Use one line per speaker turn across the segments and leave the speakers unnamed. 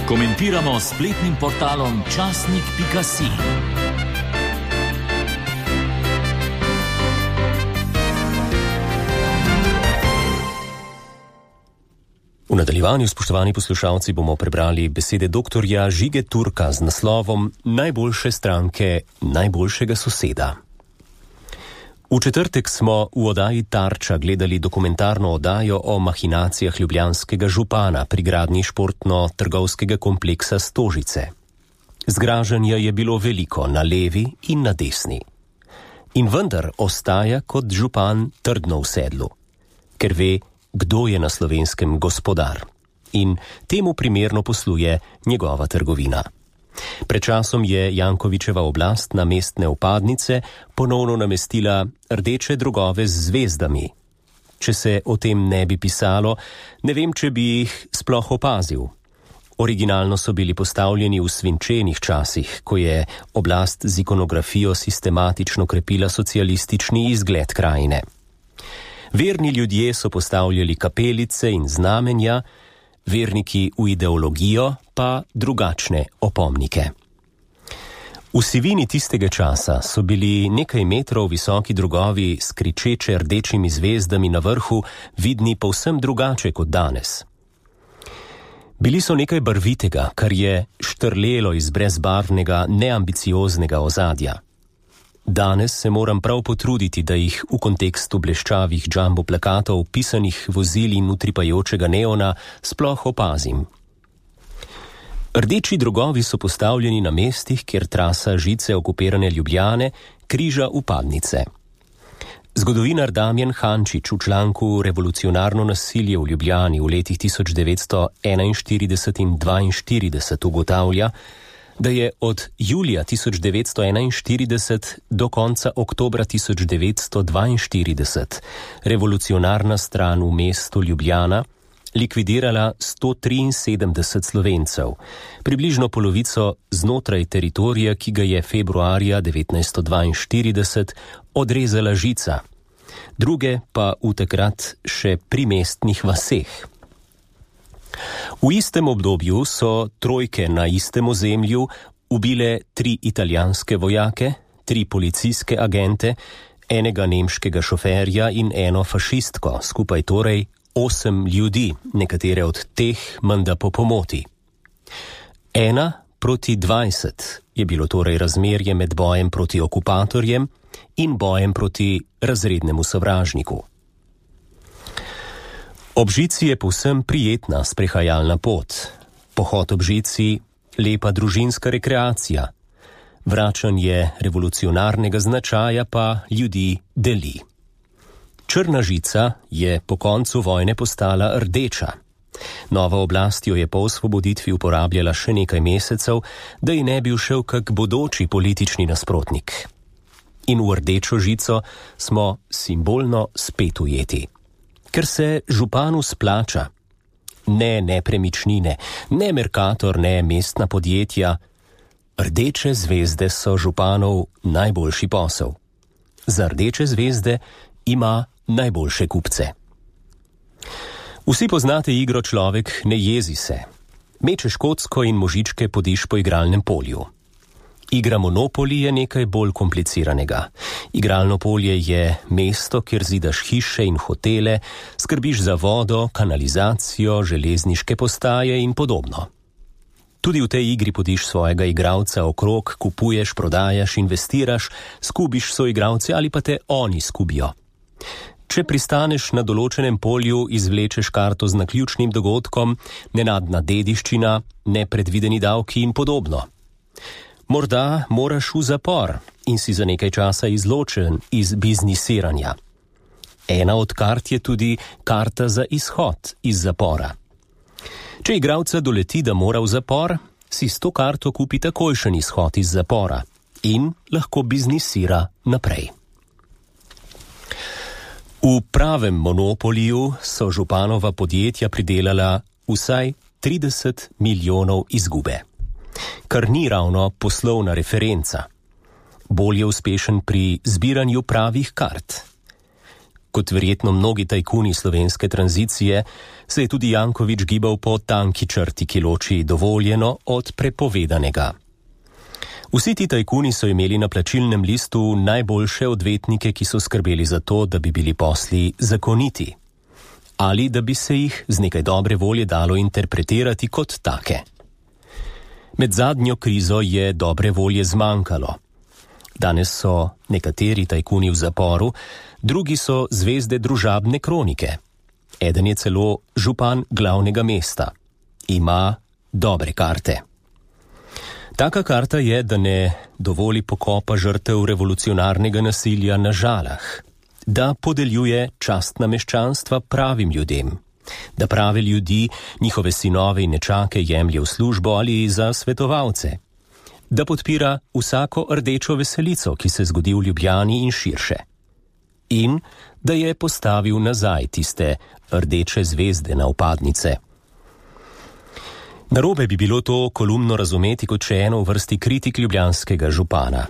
Komentiramo s spletnim portalom časnik.si.
V nadaljevanju, spoštovani poslušalci, bomo prebrali besede doktorja Žige Turka z naslovom Najboljše stranke najboljšega soseda. V četrtek smo v oddaji Tarča gledali dokumentarno oddajo o mahinacijah ljubljanskega župana pri gradnji športno-trgovskega kompleksa Stožice. Zgražanja je bilo veliko na levi in na desni. In vendar ostaja kot župan trdno v sedlu, ker ve, kdo je na Slovenskem gospodar. In temu primerno posluje njegova trgovina. Pred časom je Jankovićeva oblast na mestne vpadnice ponovno namestila rdeče drogove z zvezdami. Če se o tem ne bi pisalo, ne vem, če bi jih sploh opazil. Originalno so bili postavljeni v svinčenih časih, ko je oblast z ikonografijo sistematično krepila socialistični izgled krajine. Verni ljudje so postavljali kapelice in znamenja, verniki v ideologijo pa drugačne opomnike. V sivini tistega časa so bili nekaj metrov visoki drogovi s kričeče rdečimi zvezdami na vrhu vidni povsem drugače kot danes. Bili so nekaj barvitega, kar je štrlelo iz brezbarvnega, neambicioznega ozadja. Danes se moram prav potruditi, da jih v kontekstu bleščavih jumbo plakatov, pisanih vozil in utripajočega neona sploh opazim. Rdeči drogovi so postavljeni na mestih, kjer trasa žice okupirane Ljubljane križa vpadnice. Zgodovinar Damjan Hančič v članku Revolucionarno nasilje v Ljubljani v letih 1941 in 1942 ugotavlja, da je od julija 1941 do konca oktobra 1942 revolucionarna stran v mestu Ljubljana likvidirala 173 Slovencev, približno polovico znotraj teritorija, ki ga je februarja 1942 odrezala žica, druge pa v takrat še primestnih vaseh. V istem obdobju so trojke na istem ozemlju ubile 3 italijanske vojake, 3 policijske agente, enega nemškega šoferja in eno fašistko, skupaj torej 8 ljudi, nekatere od teh menda po pomoti. 1 proti 20 je bilo torej razmerje med bojem proti okupatorjem in bojem proti razrednemu sovražniku. Ob žici je povsem prijetna sprehajalna pot, pohod ob žici lepa družinska rekreacija, vračanje revolucionarnega značaja pa ljudi deli. Črna žica je po koncu vojne postala rdeča. Nova oblast jo je po osvoboditvi uporabljala še nekaj mesecev, da ji ne bi všel kak bodoči politični nasprotnik. In v rdečo žico smo simbolno spet ujeti. Ker se županu splača. Ne nepremičnine, ne Mercator, ne mestna podjetja. Rdeče zvezde so županov najboljši posel. Za rdeče zvezde ima najboljše kupce. Vsi poznate igro Človek ne jezi se. Mečeš kocko in možičke podiš po igralnem polju. Igra Monopoly je nekaj bolj kompliciranega. Igralno polje je mesto, kjer zidaš hiše in hotele, skrbiš za vodo, kanalizacijo, železniške postaje in podobno. Tudi v tej igri podiš svojega igralca okrog, kupuješ, prodajaš, investiraš, skubiš soigralce ali pa te oni skubijo. Če pristaneš na določenem polju, izvlečeš karto z naključnim dogodkom, nenadna dediščina, nepredvideni davki in podobno. Morda moraš v zapor in si za nekaj časa izločen iz biznisiranja. Ena od kart je tudi karta za izhod iz zapora. Če igralca doleti, da mora v zapor, si s to karto kupi takojšen izhod iz zapora in lahko biznisira naprej. V pravem monopoliju so županova podjetja pridelala vsaj 30 milijonov izgube. Kar ni ravno poslovna referenca. Bolj je uspešen pri zbiranju pravih kart. Kot verjetno mnogi tajkuni slovenske tranzicije, se je tudi Janković gibal po tanki črti, ki loči dovoljeno od prepovedanega. Vsi ti tajkuni so imeli na plačilnem listu najboljše odvetnike, ki so skrbeli za to, da bi bili posli zakoniti. Ali da bi se jih z nekaj dobre volje dalo interpretirati kot take. Med zadnjo krizo je dobre volje zmanjkalo. Danes so nekateri tajkuni v zaporu, drugi so zvezde družabne kronike. Eden je celo župan glavnega mesta. Ima dobre karte. Taka karta je, da ne dovoli pokopa žrtev revolucionarnega nasilja na Žalah, da podeljuje častna meščanstva pravim ljudem, da prave ljudi, njihove sinove in nečake jemlje v službo ali za svetovalce, da podpira vsako rdečo veselico, ki se zgodi v Ljubljani in širše, in da je postavil nazaj tiste rdeče zvezde na vpadnice. Narobe bi bilo to kolumno razumeti kot še eno v vrsti kritik ljubljanskega župana.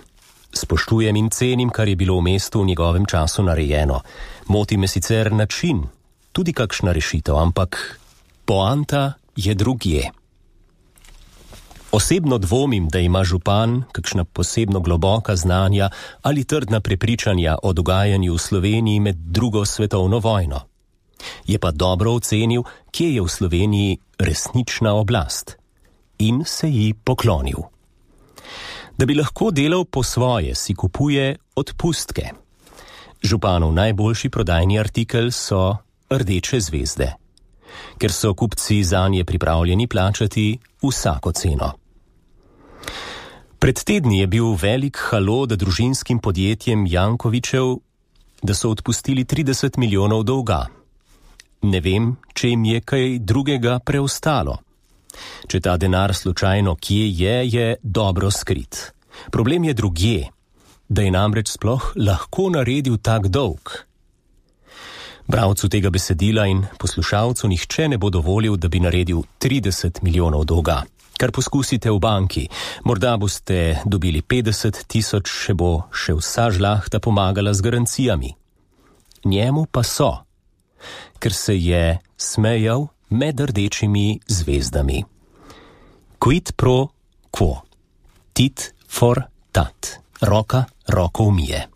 Spoštujem in cenim, kar je bilo v mestu v njegovem času narejeno. Moti me sicer način, tudi kakšna rešitev, ampak poanta je drugje. Osebno dvomim, da ima župan kakšna posebno globoka znanja ali trdna prepričanja o dogajanju v Sloveniji med drugo svetovno vojno. Je pa dobro ocenil, kje je v Sloveniji resnična oblast in se ji poklonil. Da bi lahko delal po svoje, si kupuje odpustke. Županov najboljši prodajni artikel so rdeče zvezde, ker so kupci zanje pripravljeni plačati vsako ceno. Pred tedni je bil velik halo, da družinskim podjetjem Jankovićev, da so odpustili 30 milijonov dolga. Ne vem, če jim je kaj drugega preostalo. Če ta denar slučajno kje je dobro skrit. Problem je drugje, da je namreč sploh lahko naredil tak dolg. Bralcu tega besedila in poslušalcu nihče ne bo dovolil, da bi naredil 30 milijonov dolga. Kar poskusite v banki, morda boste dobili 50 tisoč, še bo še vsa žlahta pomagala z garancijami. Njemu pa so, ker se je smejal med rdečimi zvezdami. Quid pro quo, tit for tat, roka roko umije.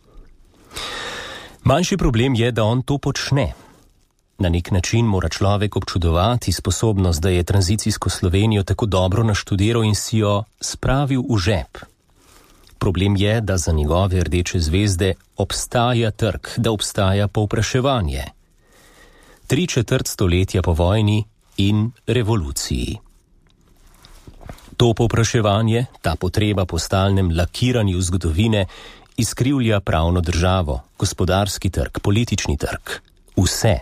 Manjši problem je, da on to počne. Na nek način mora človek občudovati sposobnost, da je tranzicijsko Slovenijo tako dobro naštudiral in si jo spravil v žep. Problem je, da za njegove rdeče zvezde obstaja trg, da obstaja povpraševanje. 3/4 stoletja po vojni in revoluciji. To povpraševanje, ta potreba po stalnem lakiranju zgodovine, izkrivlja pravno državo, gospodarski trg, politični trg, vse.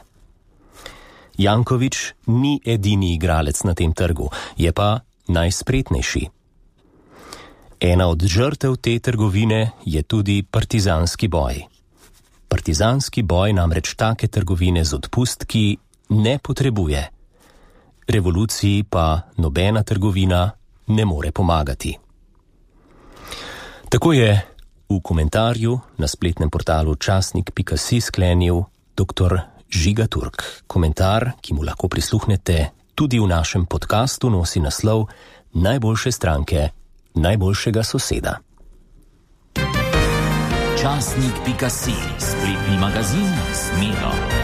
Janković ni edini igralec na tem trgu, je pa najspretnejši. Ena od žrtev te trgovine je tudi partizanski boj. Partizanski boj namreč take trgovine z odpustki ne potrebuje. Revoluciji pa nobena trgovina ne more pomagati. Tako je v komentarju na spletnem portalu časnik.si sklenil dr. Žiga Turk. Komentar, ki mu lahko prisluhnete tudi v našem podkastu, nosi naslov Najboljše stranke najboljšega soseda.
Časnik.si, spletni magazin s Miro.